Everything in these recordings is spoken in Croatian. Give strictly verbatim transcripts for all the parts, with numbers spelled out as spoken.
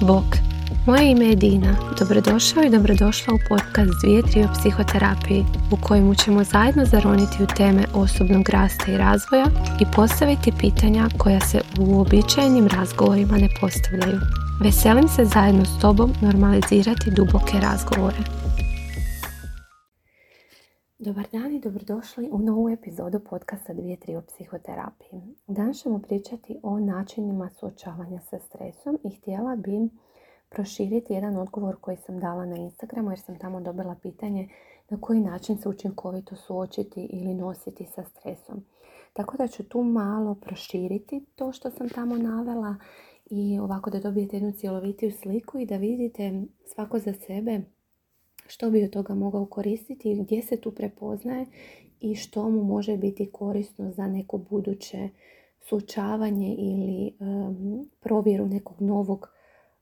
Bok, moje ime je Dina. Dobrodošao i dobrodošla u podcast Dvije tri o psihoterapiji, u kojemu ćemo zajedno zaroniti u teme osobnog rasta i razvoja i postaviti pitanja koja se u uobičajenim razgovorima ne postavljaju. Veselim se zajedno s tobom normalizirati duboke razgovore. Dobar dan i dobrodošli u novu epizodu podcasta Dvije tri o psihoterapiji. Danas ćemo pričati o načinima suočavanja sa stresom i htjela bi proširiti jedan odgovor koji sam dala na Instagramu jer sam tamo dobila pitanje na koji način se učinkovito suočiti ili nositi sa stresom. Tako da ću tu malo proširiti to što sam tamo navela i ovako da dobijete jednu cjelovitiju sliku i da vidite svako za sebe što bi od toga mogao koristiti, gdje se tu prepoznaje i što mu može biti korisno za neko buduće suočavanje ili um, provjeru nekog novog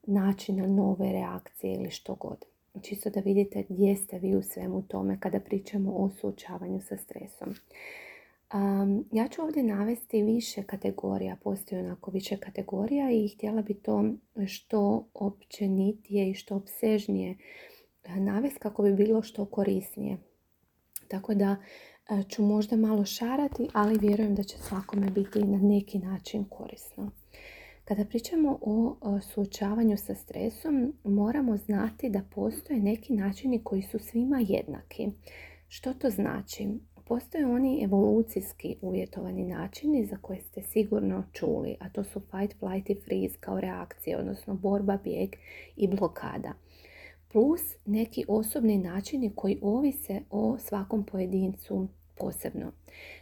načina, nove reakcije ili što god. Čisto da vidite gdje ste vi u svemu tome kada pričamo o suočavanju sa stresom. Um, ja ću ovdje navesti više kategorija, postoji onako više kategorija i htjela bi to što općenitije i što opsežnije navesti kako bi bilo što korisnije. Tako da ću možda malo šarati, ali vjerujem da će svakome biti na neki način korisno. Kada pričamo o suočavanju sa stresom, moramo znati da postoje neki načini koji su svima jednaki. Što to znači? Postoje oni evolucijski uvjetovani načini za koje ste sigurno čuli, a to su fight, flight i freeze kao reakcije, odnosno borba, bijeg i blokada. Plus neki osobni načini koji ovise o svakom pojedincu posebno.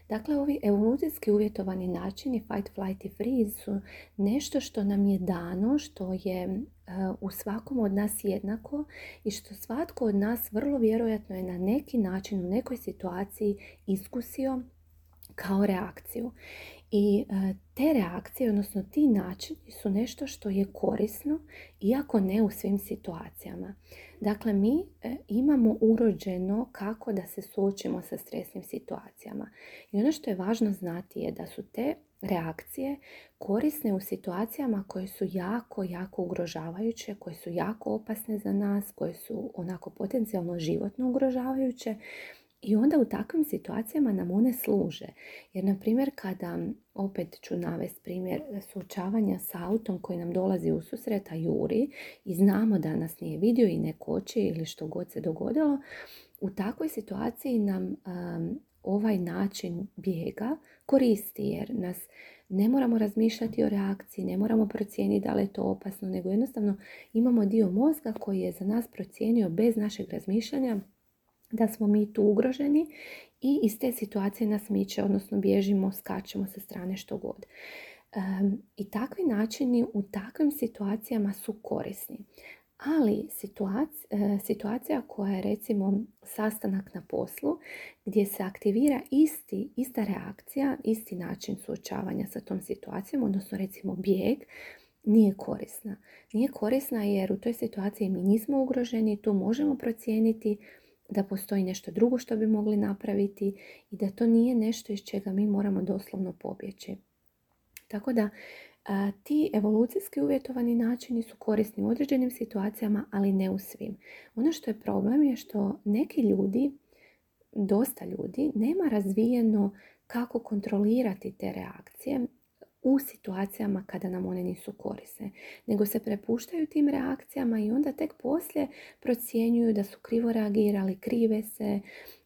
Dakle, ovi evolucijski uvjetovani načini fight, flight i freeze su nešto što nam je dano, što je uh, u svakom od nas jednako i što svatko od nas vrlo vjerojatno je na neki način u nekoj situaciji iskusio kao reakciju. I uh, te reakcije, odnosno ti načini su nešto što je korisno, iako ne u svim situacijama. Dakle, mi e, imamo urođeno kako da se suočimo sa stresnim situacijama. I ono što je važno znati je da su te reakcije korisne u situacijama koje su jako, jako ugrožavajuće, koje su jako opasne za nas, koje su onako potencijalno životno ugrožavajuće. I onda u takvim situacijama nam one služe. Jer, na primjer, kada, opet ću navesti primjer suočavanja sa autom koji nam dolazi u susret, a juri i znamo da nas nije vidio i ne koči ili što god se dogodilo, u takvoj situaciji nam um, ovaj način bijega koristi jer nas ne moramo razmišljati o reakciji, ne moramo procijeniti da li je to opasno, nego jednostavno imamo dio mozga koji je za nas procijenio bez našeg razmišljanja da smo mi tu ugroženi i iz te situacije nas miče, odnosno bježimo, skačemo sa strane što god. Um, I takvi načini u takvim situacijama su korisni. Ali situacija, situacija koja je recimo sastanak na poslu gdje se aktivira isti, ista reakcija, isti način suočavanja sa tom situacijom, odnosno recimo bijeg, nije korisna. Nije korisna jer u toj situaciji mi nismo ugroženi, tu možemo procijeniti da postoji nešto drugo što bi mogli napraviti i da to nije nešto iz čega mi moramo doslovno pobjeći. Tako da a, ti evolucijski uvjetovani načini su korisni u određenim situacijama, ali ne u svim. Ono što je problem je što neki ljudi, dosta ljudi, nema razvijeno kako kontrolirati te reakcije u situacijama kada nam one nisu korisne, nego se prepuštaju tim reakcijama i onda tek poslije procjenjuju da su krivo reagirali, krive se,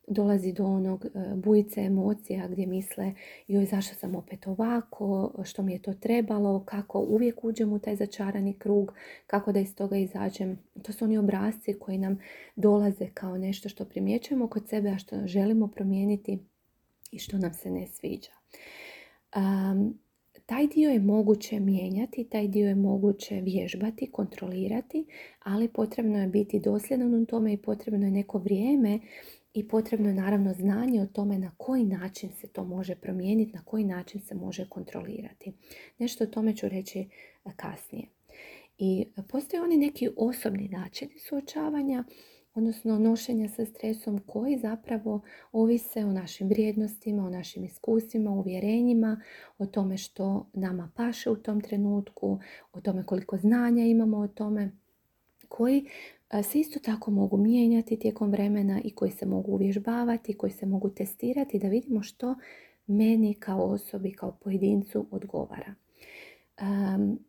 dolazi do onog bujice emocija gdje misle joj zašto sam opet ovako, što mi je to trebalo, kako uvijek uđem u taj začarani krug, kako da iz toga izađem. To su oni obrasci koji nam dolaze kao nešto što primjećujemo kod sebe, a što želimo promijeniti i što nam se ne sviđa. Um, Taj dio je moguće mijenjati, taj dio je moguće vježbati, kontrolirati, ali potrebno je biti dosljedan u tome i potrebno je neko vrijeme i potrebno je naravno znanje o tome na koji način se to može promijeniti, na koji način se može kontrolirati. Nešto o tome ću reći kasnije. I postoje oni neki osobni načini suočavanja odnosno nošenja sa stresom koji zapravo ovise o našim vrijednostima, o našim iskustvima, uvjerenjima, o tome što nama paše u tom trenutku, o tome koliko znanja imamo o tome, koji se isto tako mogu mijenjati tijekom vremena i koji se mogu uvježbavati, koji se mogu testirati da vidimo što meni kao osobi, kao pojedincu odgovara. Um,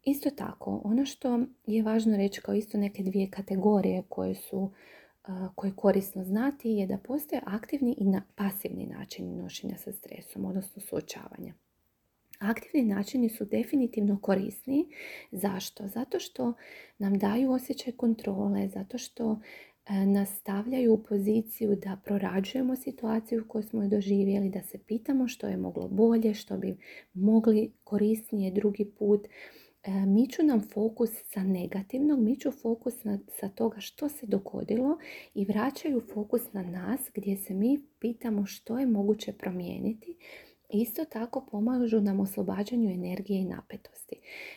isto tako, ono što je važno reći kao isto neke dvije kategorije koje su uh, koje je korisno znati je da postoje aktivni i na, pasivni način nošenja sa stresom, odnosno suočavanja. Aktivni načini su definitivno korisni. Zašto? Zato što nam daju osjećaj kontrole, zato što e, nas stavljaju u poziciju da prorađujemo situaciju koju smo doživjeli, da se pitamo što je moglo bolje, što bi mogli korisnije drugi put. E, miču nam fokus sa negativnog, miču fokus na, sa toga što se dogodilo i vraćaju fokus na nas gdje se mi pitamo što je moguće promijeniti. Isto tako pomažu nam oslobađanju energije i napetosti.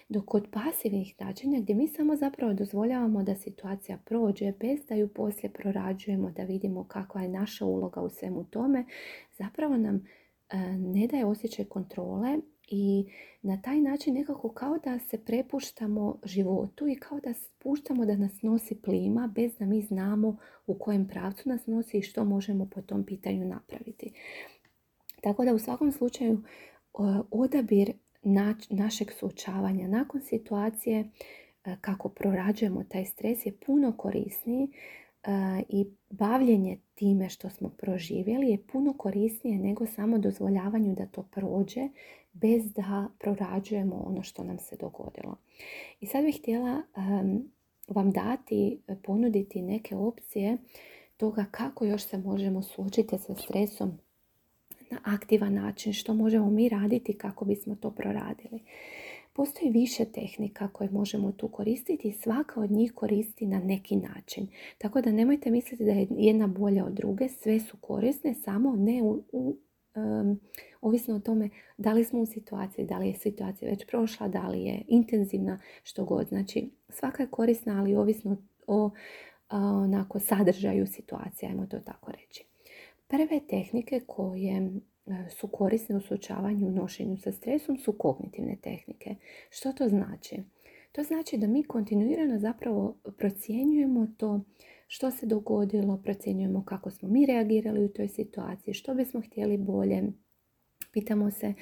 Dok kod pasivnih načina gdje mi samo zapravo dozvoljavamo da situacija prođe bez da ju poslije prorađujemo, da vidimo kakva je naša uloga u svemu tome, zapravo nam e, ne daje osjećaj kontrole i na taj način nekako kao da se prepuštamo životu i kao da puštamo da nas nosi plima bez da mi znamo u kojem pravcu nas nosi i što možemo po tom pitanju napraviti. Tako da u svakom slučaju odabir našeg suočavanja nakon situacije kako prorađujemo taj stres je puno korisniji i bavljenje time što smo proživjeli je puno korisnije nego samo dozvoljavanju da to prođe bez da prorađujemo ono što nam se dogodilo. I sad bih htjela vam dati, ponuditi neke opcije toga kako još se možemo suočiti sa stresom na aktivan način, što možemo mi raditi kako bismo to proradili. Postoji više tehnika koje možemo tu koristiti i svaka od njih koristi na neki način. Tako da nemojte misliti da je jedna bolja od druge, sve su korisne, samo ne u, u, um, ovisno o tome da li smo u situaciji, da li je situacija već prošla, da li je intenzivna, što god. Znači svaka je korisna, ali ovisno o onako sadržaju situacije, ajmo to tako reći. Prve tehnike koje su korisne u suočavanju i nošenju sa stresom su kognitivne tehnike. Što to znači? To znači da mi kontinuirano zapravo procjenjujemo to što se dogodilo, procjenjujemo kako smo mi reagirali u toj situaciji, što bismo htjeli bolje. Pitamo se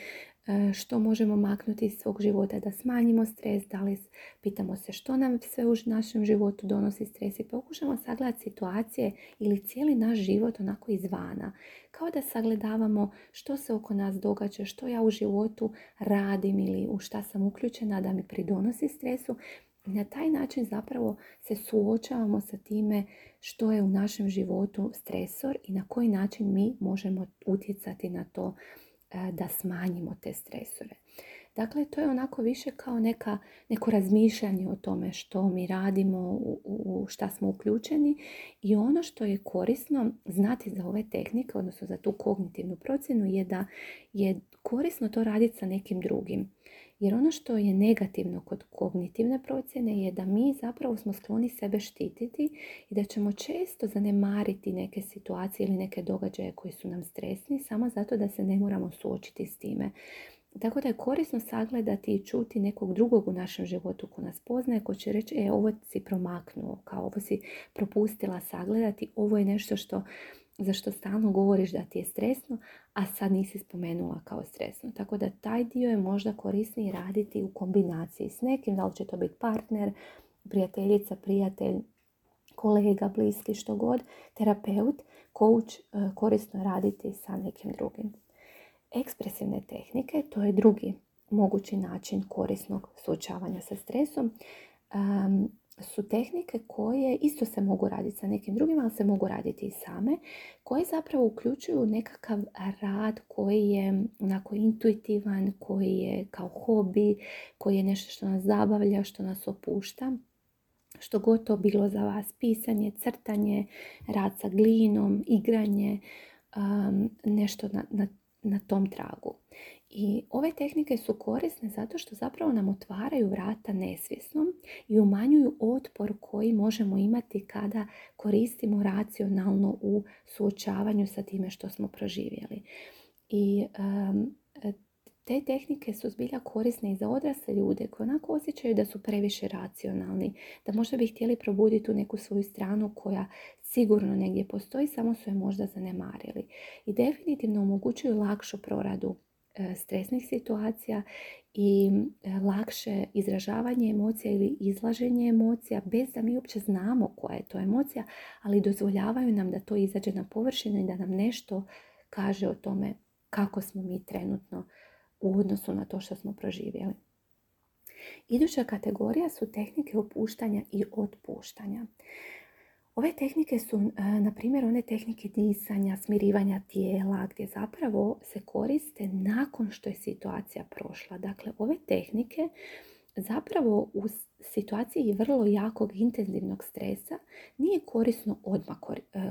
što možemo maknuti iz svog života da smanjimo stres, da li pitamo se što nam sve u našem životu donosi stres i pokušamo sagledati situacije ili cijeli naš život onako izvana. Kao da sagledavamo što se oko nas događa, što ja u životu radim ili u šta sam uključena da mi pridonosi stresu. I na taj način zapravo se suočavamo sa time što je u našem životu stresor i na koji način mi možemo utjecati na to da smanjimo te stresore. Dakle, to je onako više kao neka, neko razmišljanje o tome što mi radimo, u, u šta smo uključeni i ono što je korisno znati za ove tehnike, odnosno za tu kognitivnu procjenu je da je korisno to raditi sa nekim drugim. Jer ono što je negativno kod kognitivne procjene je da mi zapravo smo skloni sebe štititi i da ćemo često zanemariti neke situacije ili neke događaje koji su nam stresni samo zato da se ne moramo suočiti s time. Tako da je korisno sagledati i čuti nekog drugog u našem životu ko nas poznaje, ko će reći e, ovo si promaknuo, kao ovo si propustila sagledati, ovo je nešto što za što stalno govoriš da ti je stresno, a sad nisi spomenula kao stresno. Tako da taj dio je možda korisniji raditi u kombinaciji s nekim, da li će to biti partner, prijateljica, prijatelj, kolega, bliski, što god, terapeut, coach, korisno je raditi sa nekim drugim. Ekspresivne tehnike, to je drugi mogući način korisnog suočavanja sa stresom. Um, su tehnike koje isto se mogu raditi sa nekim drugim, ali se mogu raditi i same, koje zapravo uključuju nekakav rad koji je onako intuitivan, koji je kao hobi, koji je nešto što nas zabavlja, što nas opušta. Što god to bilo za vas, pisanje, crtanje, rad sa glinom, igranje, um, nešto na, na, na tom tragu. I ove tehnike su korisne zato što zapravo nam otvaraju vrata nesvjesnom i umanjuju otpor koji možemo imati kada koristimo racionalno u suočavanju sa time što smo proživjeli. I um, te tehnike su zbilja korisne i za odrasle ljude koji onako osjećaju da su previše racionalni, da možda bi htjeli probuditi tu neku svoju stranu koja sigurno negdje postoji, samo su je možda zanemarili. I definitivno omogućuju lakšu proradu e, stresnih situacija i e, lakše izražavanje emocija ili izlaženje emocija bez da mi uopće znamo koja je to emocija, ali dozvoljavaju nam da to izađe na površinu i da nam nešto kaže o tome kako smo mi trenutno u odnosu na to što smo proživjeli. Iduća kategorija su tehnike opuštanja i otpuštanja. Ove tehnike su, na primjer, one tehnike disanja, smirivanja tijela, gdje zapravo se koriste nakon što je situacija prošla. Dakle, ove tehnike zapravo u situaciji vrlo jakog intenzivnog stresa nije korisno odmah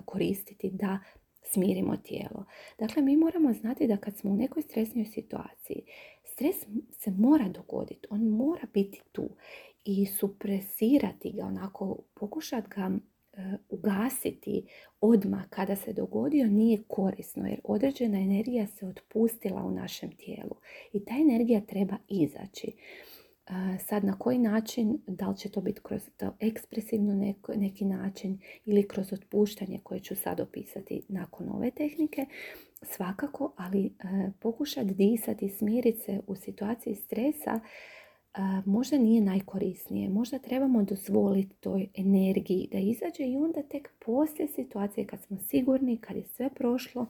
koristiti da smirimo tijelo. Dakle, mi moramo znati da kad smo u nekoj stresnoj situaciji, stres se mora dogoditi, on mora biti tu i supresirati ga, onako pokušati ga e, ugasiti odmah kada se dogodio nije korisno, jer određena energija se otpustila u našem tijelu i ta energija treba izaći. Sad na koji način, da li će to biti kroz to ekspresivno neko, neki način ili kroz otpuštanje koje ću sad opisati nakon ove tehnike, svakako, ali e, pokušati disati, smiriti se u situaciji stresa e, možda nije najkorisnije. Možda trebamo dozvoliti toj energiji da izađe i onda tek poslije situacije kad smo sigurni, kad je sve prošlo,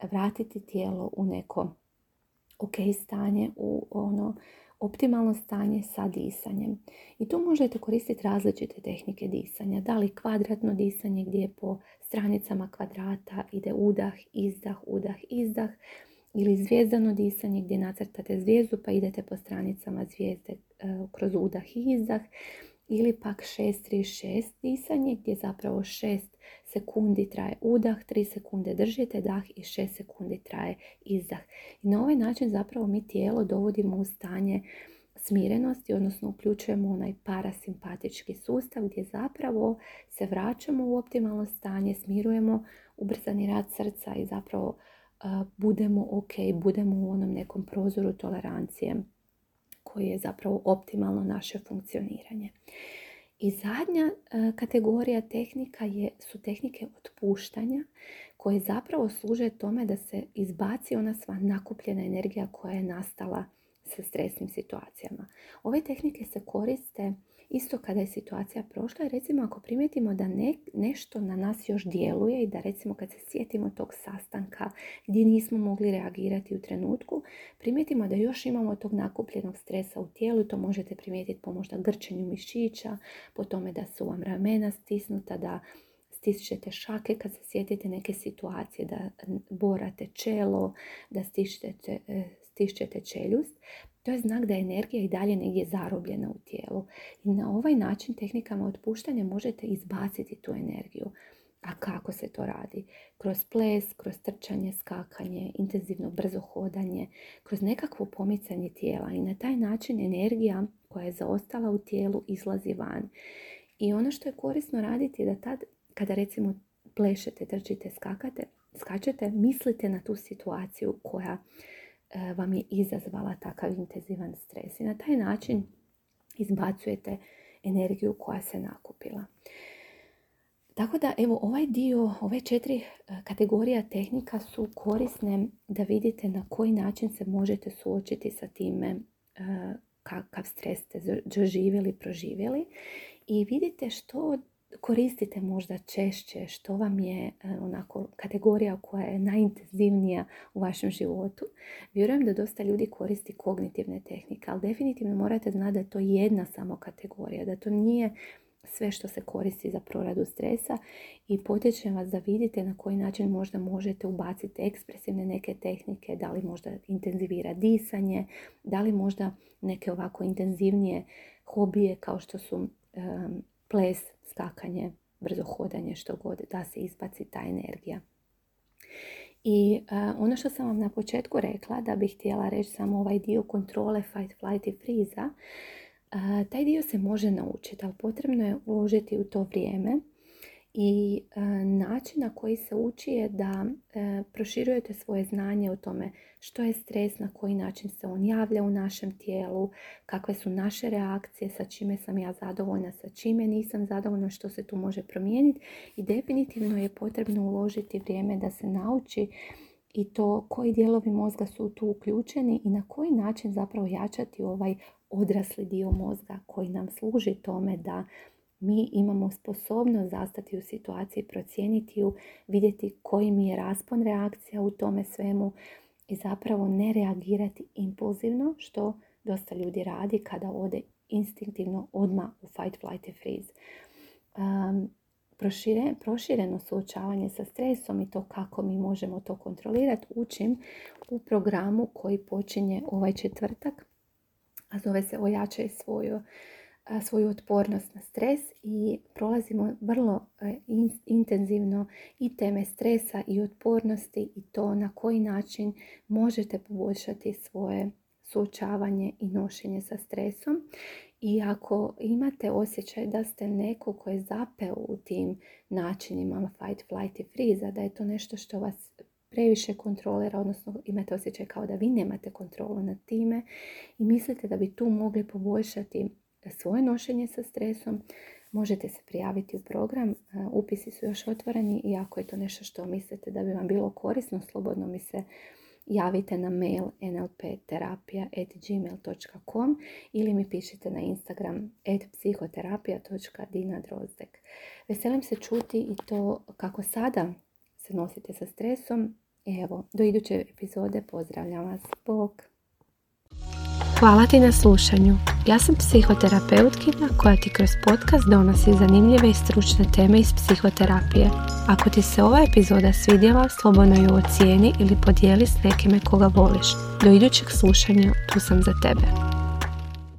vratiti tijelo u neko ok stanje, u ono optimalno stanje sa disanjem. I tu možete koristiti različite tehnike disanja. Da li kvadratno disanje gdje po stranicama kvadrata ide udah, izdah, udah, izdah. Ili zvijezdano disanje gdje nacrtate zvijezdu pa idete po stranicama zvijezde e, kroz udah i izdah. Ili pak šest tri šest disanje gdje zapravo šest sekundi traje udah, tri sekunde držite dah i šest sekundi traje izdah. I na ovaj način zapravo mi tijelo dovodimo u stanje smirenosti, odnosno uključujemo onaj parasimpatički sustav gdje zapravo se vraćamo u optimalno stanje, smirujemo ubrzani rad srca i zapravo uh, budemo ok, budemo u onom nekom prozoru tolerancije koji je zapravo optimalno naše funkcioniranje. I zadnja e, kategorija tehnika je, su tehnike otpuštanja koje zapravo služe tome da se izbaci ona sva nakupljena energija koja je nastala sa stresnim situacijama. Ove tehnike se koriste isto kada je situacija prošla i recimo ako primijetimo da ne, nešto na nas još djeluje i da recimo kad se sjetimo tog sastanka gdje nismo mogli reagirati u trenutku, primijetimo da još imamo tog nakupljenog stresa u tijelu, to možete primijetiti po možda grčenju mišića, po tome da su vam ramena stisnuta, da stišćete šake kad se sjetite neke situacije, da borate čelo, da stišćete, stišćete čeljust. To je znak da je energija i dalje negdje zarobljena u tijelu. I na ovaj način tehnikama otpuštanja možete izbaciti tu energiju. A kako se to radi? Kroz ples, kroz trčanje, skakanje, intenzivno brzo hodanje, kroz nekakvo pomicanje tijela. I na taj način energija koja je zaostala u tijelu izlazi van. I ono što je korisno raditi je da tad, kada recimo plešete, trčite, skakate, skačete, mislite na tu situaciju koja vam je izazvala takav intenzivan stres. I na taj način izbacujete energiju koja se nakupila. Tako da, evo, ovaj dio, ove četiri kategorija tehnika su korisne da vidite na koji način se možete suočiti sa time kakav stres ste doživjeli, proživjeli i vidite što koristite možda češće, što vam je onako kategorija koja je najintenzivnija u vašem životu. Vjerujem da dosta ljudi koristi kognitivne tehnike, ali definitivno morate znati da je to jedna samo kategorija, da to nije sve što se koristi za proradu stresa i potičem vas da vidite na koji način možda možete ubaciti ekspresivne neke tehnike, da li možda intenzivira disanje, da li možda neke ovako intenzivnije hobije kao što su um, ples, skakanje, brzo hodanje, što god, da se izbaci ta energija. I uh, ono što sam vam na početku rekla, da bih htjela reći samo ovaj dio kontrole, fight, flight i freeze, Taj dio se može naučiti, ali potrebno je uložiti u to vrijeme. I e, način na koji se uči je da e, proširujete svoje znanje o tome što je stres, na koji način se on javlja u našem tijelu, kakve su naše reakcije, sa čime sam ja zadovoljna, sa čime nisam zadovoljna, što se tu može promijeniti. I definitivno je potrebno uložiti vrijeme da se nauči i to koji dijelovi mozga su tu uključeni i na koji način zapravo jačati ovaj odrasli dio mozga koji nam služi tome da mi imamo sposobnost zastati u situaciji, procijeniti ju, vidjeti koji mi je raspon reakcija u tome svemu i zapravo ne reagirati impulzivno, što dosta ljudi radi kada ode instinktivno odmah u fight, flight i freeze. Um, prošire, prošireno suočavanje sa stresom i to kako mi možemo to kontrolirati učim u programu koji počinje ovaj četvrtak, a zove se Ojačaj svoju svoju otpornost na stres i prolazimo vrlo in, intenzivno i teme stresa i otpornosti i to na koji način možete poboljšati svoje suočavanje i nošenje sa stresom. I ako imate osjećaj da ste neko ko je zapeo u tim načinima fight, flight i freeze, da je to nešto što vas previše kontrolira, odnosno imate osjećaj kao da vi nemate kontrolu nad time i mislite da bi tu mogli poboljšati svoje nošenje sa stresom, možete se prijaviti u program. Upisi su još otvoreni i ako je to nešto što mislite da bi vam bilo korisno, slobodno mi se javite na mail en el pe terapija at gmail dot com ili mi pišite na Instagram at psihoterapija dot dina drozdek. Veselim se čuti i to kako sada se nosite sa stresom. Evo, do iduće epizode pozdravljam vas. Bog! Hvala ti na slušanju. Ja sam psihoterapeutkinja koja ti kroz podcast donosi zanimljive i stručne teme iz psihoterapije. Ako ti se ova epizoda svidjela, slobodno ju ocijeni ili podijeli s nekime koga voliš. Do idućeg slušanja, tu sam za tebe.